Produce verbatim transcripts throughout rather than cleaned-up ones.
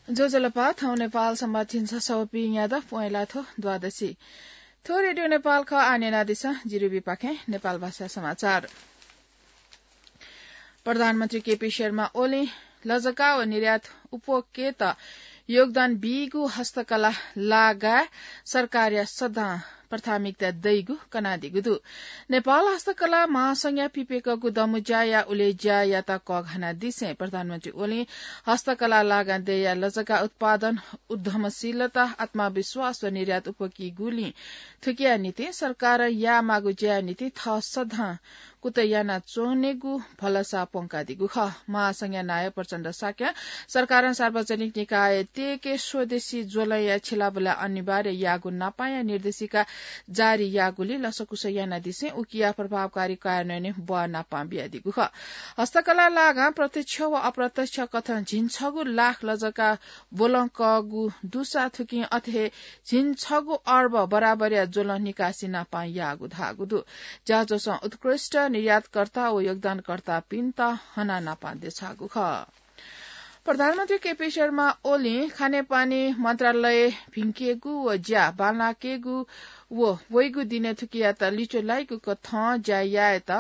ज्वजलपा, थौं नेपाल संवत् झिंछसः व पीन्यादँ प्वँय् लाथ्व द्वादशी। थ्व रेडियो नेपाल खः। आः न्यनादिसँ जिरिबीपाखें नेपाल भाषा समाचार। प्रधानमन्त्री केपी शर्मा ओलीं लजगाः व निर्यात उपभोगयात योगदान बीगु हस्तकला लागाय् सरकारया सदां प्राथमिकता दइगु कनादीगु दु। नेपाल हस्तकला महासंघया पिप्यकःगु दमु ज्याया उलेज्यायात कःघानादिसें प्रधानमन्त्री ओलीं हस्तकला लागां दय्‌या लजगाः उत्पादन, उद्यमशीलता, आत्मविश्वास व निर्यात उपभोगकीगुलिं थुकिया निंतिं सरकारं यायेमाःगु ज्याया निंतिं थः सदां कुतः यानाच्वनेगु भलसा प्वंकादीगु खः। महासंघया नायः प्रचण्ड शाक्यं सरकारं सार्वजनिक निकायतय्‌के स्वदेशी ज्वलंया छ्यलाबुला अनिवार्य याःगु न्हापांया निर्देशिका जारी याःगुलिं लसकुस यानादिसें उकिया प्रभावकारी कार्यान्वयनय् बः न्हापां बियादीगु खः। हस्तकला लागां प्रत्यक्ष व अप्रत्यक्ष कथं झिंछगू लाख लजगाः ब्वलंकःगु दुसा थुकिं अथे हे झिंछगू अर्ब बराबरया ज्वलं निकासी न्हापां याःगु धाःगु दु। ज्याझ्वलं उत्कृष्ट निर्यातकर्ता व योगदानकर्तापिन्त हनाः न्हापां देछाःगु खः। प्रधानमन्त्री केपी शर्मा ओलीं खानेपानी मन्त्रालय भिंकेगु व ज्या बांलाकेगु व वइगु दिनय् थुकियात लिच्वः लाइगु कथं ज्या यायेत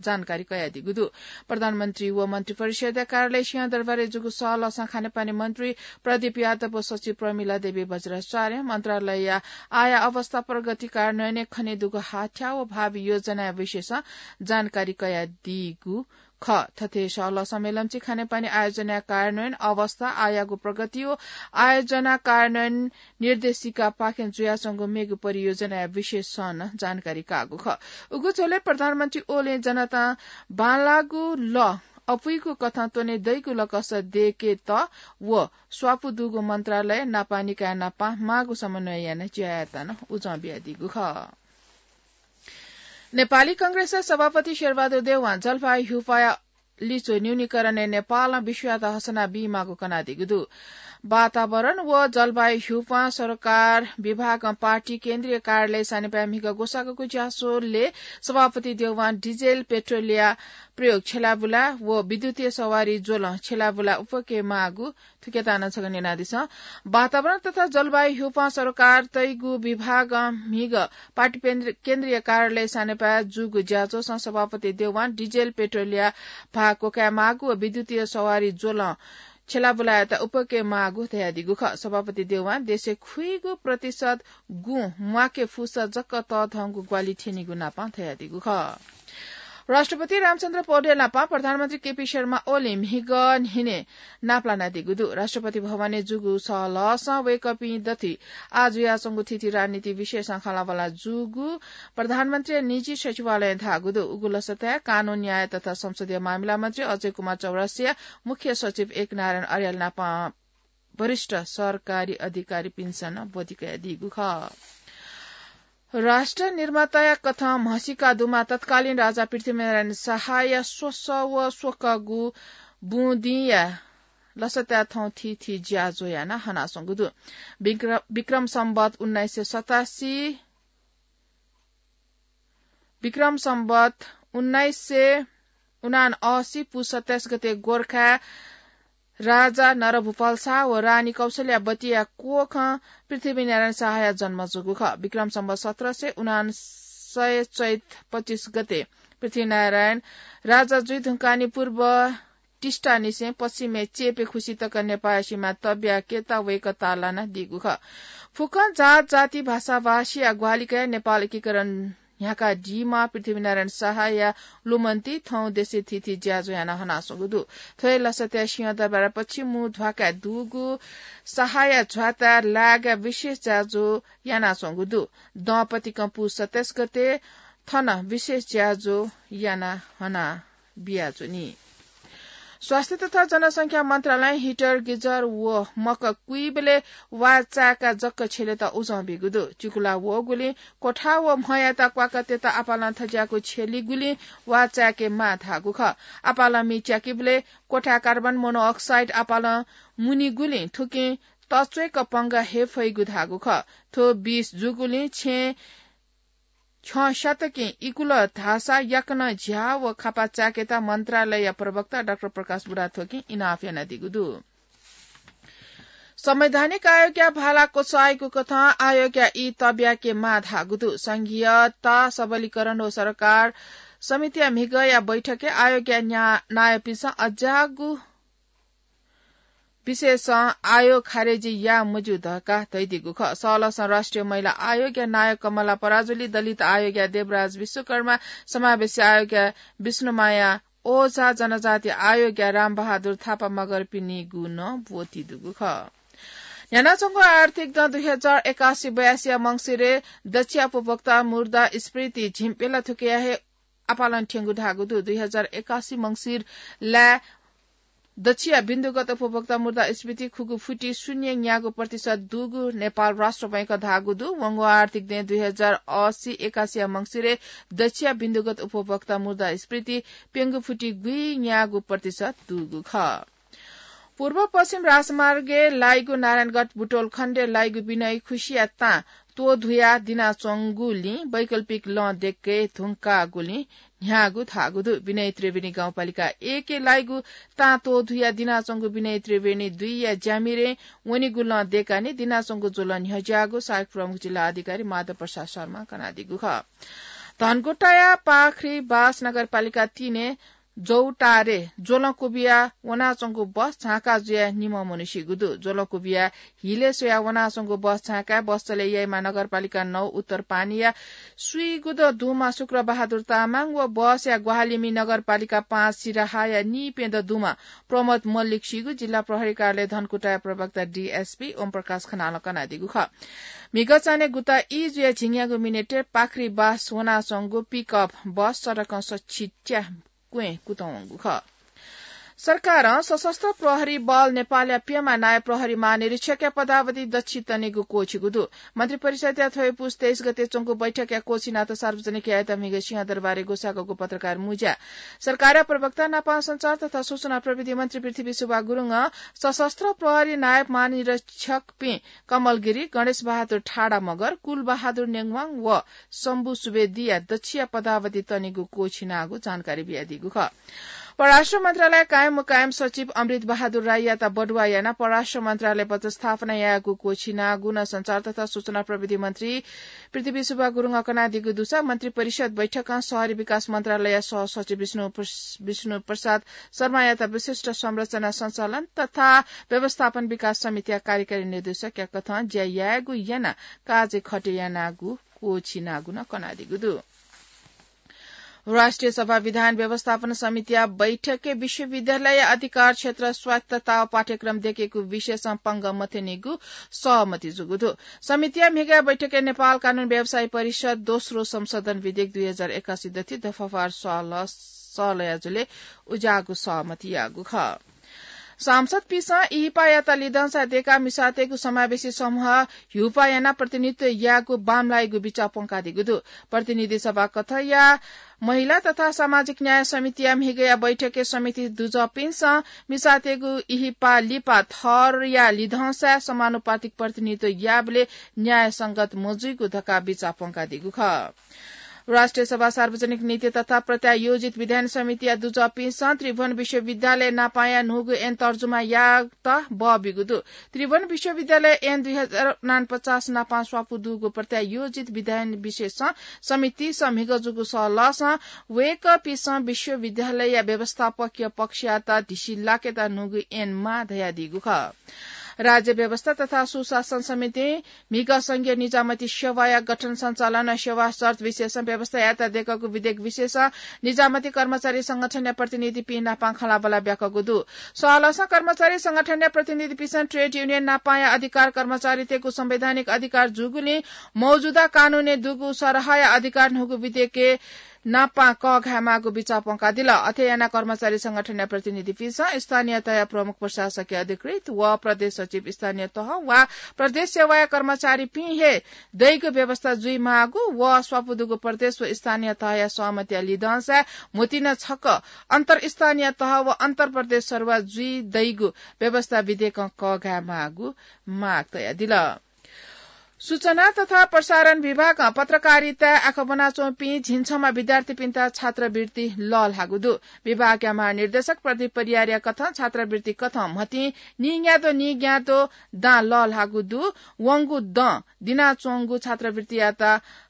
जानकारी कयादीगु दु। प्रधानमन्त्री व मन्त्रिपरिषद्या कार्यालय सिंहदरबारय् जूगु सहलहसं खानेपानी मन्त्री प्रदीप यादव व सचिव प्रमिला देवी बज्राचार्यं मन्त्रालयया आया अवस्था, प्रगति, कार्यान्वयनय् खनेदुगु हाथ्याः व भावी योजनाया विषयसं जानकारी कयादीगु खः। थथे सहलह सम्मेलनय् खानेपानी आयोजनाया कार्यान्वयन अवस्था, आयागु प्रगति व आयोजना कार्यान्वयन निर्देशिकापाखें जुयाच्वंगु मेगु परियोजनाया विषयसं नं जानकारी काःगु खः। उगु झ्वलय् प्रधानमन्त्री ओलीं जनतां बांलाःगु लः अपुइगु कथं त्वने दइगु लकस दय्‌केत व स्वापू दुगु मन्त्रालय, नापा निकाय नाप माःगु समन्वय यानाः ज्या यायेत नं उजं बियादीगु खः। नेपाली कांग्रेसया सभापति शेरबहादुर देउवां जलवायु ह्यूपाया लिच्वः न्यूनीकरणय् नेपालं विश्वयात हसना बीमाःगु कनादीगु दु। वातावरण व जलवायु ह्यूपां सरोकार विभागं पार्टी केन्द्रीय कार्यालय सानेपाय् म्हिगः ग्वसाःगु ज्याझ्वलय् सभापति देउवां डिजेल पेट्रोलया प्रयोग छ्यलाबुला व विद्युतीय सवारी ज्वलं छ्यलाबुला उपके माःगु थुकियात नं छकः न्यनादिसँ। वातावरण तथा जलवायु ह्यूपां सरोकार तइगु विभागं म्हिगः पार्टी पेन्द्र-, केन्द्रीय कार्यालय सानेपाय् जूगु ज्याझ्वलय् सभापति देउवां डिजेल पेट्रोलया भाः क्वकाये माःगु व विद्युतीय सवारी ज्वलं छ्यलाबुलायात उपके माःगु धयादीगु खः। सभापति देउवां देशय् खुइगू प्रतिशत गुँ म्वाके फुसा जक तःधंगु ग्वाहालि थ्यनीगु नापं धयादीगु खः। राष्ट्रपति रामचन्द्र पौडेल नाप प्रधानमन्त्री केपी शर्मा ओलीं म्हिगः न्हिनय् नापलानादीगु दु। राष्ट्रपति भवनय् जूगु सहलहसं वय्‌कःपिं दथुइ आः जुयाच्वंगु थीथी राजनीति विषयसं खँल्हाबल्हा जूगु प्रधानमन्त्रीया निजी सचिवालयं धाःगु दु। उगु लसताय् कानून, न्याय तथा संसदीय मामिला मन्त्री अजय कुमार चौरसिया, मुख्य सचिव एकनारायण अर्याल नाप वरिष्ठ सरकारी अधिकारीपिन्सं नं ब्वति कयादीगु खः। राष्ट्र निर्माताया कथं म्हसीका दुमाः तत्कालीन राजा पृथ्वीनारायण शाहया स्वसः व स्वकःगु बुँ दिंया लसताय् थौं थीथी ज्याझ्वः यानाः हनाच्वंगु दु। विक्र-, विक्रम सम्वत उन्नाइस सय सतासी, विक्रम सम्वत उन्नाइस सय उनासी पुस सत्ताइस गते गोर्खाय् राजा नरभूपाल शाह व रानी कौशल्यावतीया कोखं पृथ्वीनारायण शाहया जन्म जूगु खः। विक्रम सम्वत सत्र सय उनान्सय चैत पच्चिस गते पृथ्वीनारायण राजा जुइ धुंकाः नि पूर्व टिस्टानिसें पश्चिमय् चेपे खुसि तक नेपाःया सिमा तब्याकेत वय्‌कः ताःलानादीगु खः। फुक्कं जात जाति भाषा भाषीया ग्वाहालि कयाः नेपाल एकीकरण न्ह्याकादीम्ह पृथ्वीनारायण शाहया लुमन्ति थौं देशय् थीथी ज्याझ्वः यानाः हनाच्वंगु दु। थ्व हे लसताय् सिंहदरबार पश्चिम ध्वाखाय् दुगु शाहया झ्वाताय् लाय्‌काः विशेष ज्याझ्वः यानाच्वंगु दु। दँपतिकं पुस सत्ताइस गते थन विशेष ज्याझ्वः यानाः हना बियाच्वनी। स्वास्थ्य तथा जनसंख्या मन्त्रालयं heater, geyser व मक कुइबलय् वा चाय्‌काः जक छ्यलेत उजं बीगु दु। चिकुला वःगुलिं क्वथा व म्हयात क्वाकाः तयेत आपालं थज्याःगु छ्यलीगुलिं वा चाय्‌के माः धाःगु खः। आपालं मि च्याकीबलय् क्वथाय् carbon monoxide आपालं मुनीगुलिं थुकिं तच्वय्‌क पंगः हये फइगु धाःगु खः। थ्व विष जूगुलिं छेँ छ्यं स्यातकिं इकुल धाःसा याकनं झ्याः व खापा चाय्‌केत मन्त्रालयया प्रवक्ता डाक्टर प्रकाश बुढाथोकीं इनाप यानादीगु दु। संवैधानिक आयोगया भाला क्वचायेगु कथं आयोगया ई तब्याके माः धाःगु दु। संघीयता सबलीकरण व सरकार समितिया म्हिगःया बैठकय् आयोगया न्या-, नायःपिन्सं अज्याःगु विषयसं आयोग खारेजी याः मज्यू धकाः धयादीगु खः। सहलहसं राष्ट्रिय महिला आयोगया नायः कमला पराजुली, दलित आयोगया देवराज विश्वकर्मा, समावेशी आयोगया विष्णुमाया ओझा, जनजाति आयोगया रामबहादुर थापा मगरपिनिगु नं ब्वति दुगु खः। न्ह्यानाच्वंगु आर्थिक दँ दुई हजार एकासी बयासीया मंसिरय् दच्छिया उपभोक्ता मुद्रास्फीति झिंप्यला थुकिया हे आपालं थ्यंगु धाःगु दु। दुई हजार एकासी मंसिर लाय् दच्छिया बिन्दुगत उपभोक्ता मुद्रास्फीति खुगू फुति शून्य न्यागू प्रतिशत दुगु नेपाल राष्ट्र बैंकं धाःगु दु। वंगु आर्थिक दँय् दुई हजार असी एकासीया मंसिरय् दच्छिया बिन्दुगत उपभोक्ता मुद्रास्फीति प्यंगू फुति गुइन्यागू प्रतिशत दुगु खः। पूर्व पश्चिम राजमार्गय् लाइगु नारायणगढ बुटोल खण्डय् लाइगु विनय खुसिया तां त्वधुया दिनाच्वंगुलिं वैकल्पिक लँ देके धुंकागुलिं न्ह्याःगु धाःगु दु। विनय त्रिवेणी गाउँपालिका एकय् लाइगु तां त्वधुया दिनाच्वंगु विनय त्रिवेणी दुईया ज्यामिरे वनेगु लँ देकानि दिनाच्वंगु ज्वलं न्ह्यज्याःगु सहायक प्रमुख जिल्ला अधिकारी माधव प्रसाद शर्मां कनादीगु खः। धनकुटाया पाख्रीबास नगरपालिका तीनय् जौटारे ज्वलं कुबिया वनाच्वंगु बस झांका जुया निम्ह मनू सीगु दु। ज्वलं कुबिया हिलय् स्वया वनाच्वंगु बस झांकाय् बस चले याइमा नगरपालिका नौ उत्तर पानीया स्वीगुदँ दुमा शुक्रबहादुर तामाङ व बसया ग्वाहालिमि नगरपालिका पाँच सिराहाया नीप्यदँ दुमा प्रमोद मल्लिक सीगु जिल्ला प्रहरी कार्यालय धनकुटाया प्रवक्ता डीएसपी ओम प्रकाश खनालं कनादीगु खः। म्हिगः चान्हय् गुता ई जुया झिंन्यागू मिनेटय् पाख्रीबास वनाच्वंगु पिकअप बस सडकं सछि च्या क्वँय् कुतः वंगु खः। सरकारं सशस्त्र प्रहरी बल नेपालया प्यम्ह नायः प्रहरी महानिरीक्षकया पदावधि दच्छि तनेगु क्वःछिगु दु। मन्त्रिपरिषदया थ्व हे पुस तेइस गते च्वंगु बैठकया क्वःछिनात सार्वजनिक यायेत म्हिगः सिंहदरबारय् ग्वसाःगु पत्रकार मुँज्या। सरकारया प्रवक्ता नापं सञ्चार तथा सूचना प्रविधि मन्त्री पृथ्वी सुब्बा गुरुङं सशस्त्र प्रहरी नायब महानिरीक्षकपिं कमल गिरी, गणेश बहादुर ठाडा मगर, कुल बहादुर नेङवाङ व शम्भु सुवेदीया दच्छिया पदावधि तनेगु क्वःछिनागु जानकारी बियादीगु खः। परराष्ट्र मन्त्रालय कायम मुकायम सचिव अमृत बहादुर राईयात बढुवा यानाः परराष्ट्र मन्त्रालय पदस्थापना यायेगु क्वःछिनागु नं सञ्चार तथा सूचना प्रविधि मन्त्री पृथ्वी सुब्बा गुरुङं कनादीगु दुसा मन्त्री परिषद बैठकं शहरी विकास मन्त्रालय सहसचिव विष्णु प्रस-, विष्णु प्रसाद शर्मायात विशिष्ट संरचना सञ्चालन तथा व्यवस्थापन विकास समितिया कार्यकारी निर्देशकया कथं ज्या यायेगु यानाः काजय् खटे यानागु क्वःछिनागु नं कनादीगु दु। राष्ट्रिय सभा विधान व्यवस्थापन समितिया बैठकय् विश्वविद्यालय अधिकार क्षेत्र स्वायत्तता व पाठ्यक्रम देकेगु विषयसं पंगः मथ्यनीगु सहमति जूगु दु। समितिया म्हिगः बैठकय् नेपाल कानून व्यवसायी परिषद दोस्रो संशोधन विधेयक दुई हजार एकासी दथि दफावार सहलह, सहलह जुले उज्याःगु सहमति याःगु खः। सांसदपिंसं इहिपायात लिधंसा देकाः मिसातय्गु समावेशी समूह ह्युपा यानाः प्रतिनिधित्व यायेगु बांमलाइगु बिचाः प्वंकादीगु दु। प्रतिनिधि सभा कथंया महिला तथा सामाजिक न्याय समितिया म्हिगःया बैठकय् समिति दुजःपिन्सं मिसातय्गु इहिपा लिपा थरया लिधंसाय् समानुपातिक प्रतिनिधित्व याःबलय् न्यायसंगत मजुइगु धकाः बिचाः प्वंकादीगु खः। राष्ट्रिय सभा सार्वजनिक नीति तथा प्रत्यायोजित विधायन समितिया दुजःपिन्सं त्रिभुवन विश्वविद्यालय नापांया न्हूगु ऐन तर्जुमा यायेत बः बीगु दु। त्रिभुवन विश्वविद्यालय ऐन दुई हजार उनान्पचास नापां स्वापू दुगु प्रत्यायोजित विधायन विषयसं समितिसं म्हिगः जूगु सहलहसं वय्कःपिंसं विश्वविद्यालयया व्यवस्थापकीय पक्षयात धिसिलाकेत न्हूगु ऐन माः धयादीगु खः। राज्य व्यवस्था तथा सुशासन समितिं म्हिगः संघीय निजामती सेवाया गठन सञ्चालन व सेवा शर्त विषयसं व्यवस्था यायेत देकःगु विधेयक विषयसं निजामती कर्मचारी संगठनया प्रतिनिधिपिं नापां खँल्हाबल्हा ब्याकःगु दु। सहलहसं कर्मचारी संगठनया प्रतिनिधिपिंसं ट्रेड युनियन नापांया अधिकार कर्मचारीतय्गु संवैधानिक अधिकार जूगुलिं मौजुदा कानूनय् दुगु सरहया अधिकार न्हूगु विधेयकय् नापां कःघायेमाःगु बिचाः प्वंकादिल। अथे यानाः कर्मचारी संगठनया प्रतिनिधिपिंसं स्थानीय तहया प्रमुख प्रशासकीय अधिकृत व प्रदेश सचिव स्थानीय तह वा प्रदेश सेवाया कर्मचारीपिं हे दइगु व्यवस्था जुइमाःगु व स्वापू दुगु प्रदेश व स्थानीय तहया सहमतिया लिधंसाय् म्हुतिं छकः अन्तरस्थानीय तह व अन्तरप्रदेश सरुवा जुइ दइगु व्यवस्था विधेयकं कःघायेमाःगु माग तयादिल। सूचना तथा प्रसारण विभागं पत्रकारिताय् आखः ब्वनाच्वंपिं झिंछम्ह विद्यार्थीपिन्त छात्रवृत्ति लःल्हाःगु दु। विभागया महानिर्देशक प्रदीप परियारया कथं छात्रवृत्ति कथं म्हतिं नीन्याद्वः नीन्याद्वः दां लःल्हाःगु दु। वंगु दँ दिनाच्वंगु छात्रवृत्तियात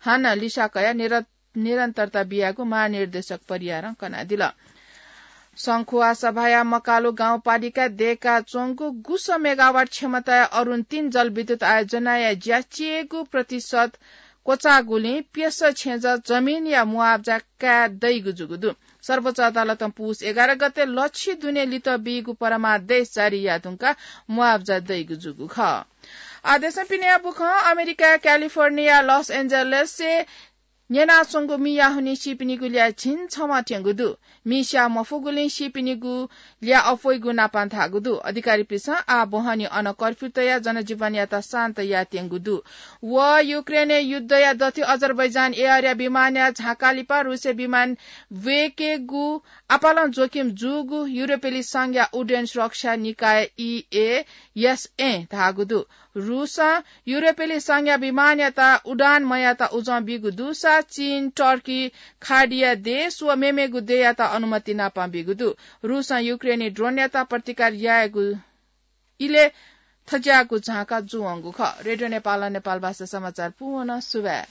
हानं लिसा कयाः निर-, निरन्तरता बियागु महानिर्देशक परियारं कनादिल। संखुवासभाया मकालु गाउँपालिकाय् दय्काच्वंगु गुसः मेगावाट क्षमताया अरुण तीन जलविद्युत आयोजनाया ज्या चय्गू प्रतिशत क्वचाःगुलिं प्यसः छेँजः जमिनया मुआब्जा काये दइगु जूगु दु। सर्वोच्च अदालतं पुस एघार गते लछि दुने लित बीगु परमादेश जारी याये धुंकाः मुआब्जा दइगु जूगु खः। आदेशं पिने बुखं अमेरिकाया क्यालिफोर्निया लस एन्जलसय् न्यनाच्वंगु मिया हुनिं सीपिनिगु ल्याः झिंछम्ह थ्यंगु दु। मि स्याः मफुगुलिं सीपिनिगु ल्याः अप्वइगु नापं धाःगु दु। अधिकारीपिन्सं आः बहनी अन कर्फ्यू तयाः जनजीवनयात शान्त यायेत्यंगु दु। व युक्रेनय् युद्धया दथुइ अजरबैजान एयरया विमानया झांकाः लिपा रूसया विमान ब्वय्केगु आपालं जोखिम जूगु युरोपेली संघया उड्डयन सुरक्षा निकाय ईएएसए धाःगु दु। रूसं युरोपेली संघया विमानयात उडान मयायेत उजं बीगु दुसा चीन, टर्की, खाडीया देश व मेमेगु देय्‌यात अनुमति नापं बीगु दु। रूसं युक्रेनी ड्रोनयात प्रतिकार यायेगु इलय् थज्याःगु झांका जूवंगु खः। रेडियो नेपालं नेपाल भाषा समाचार पूवन। सुभाय्।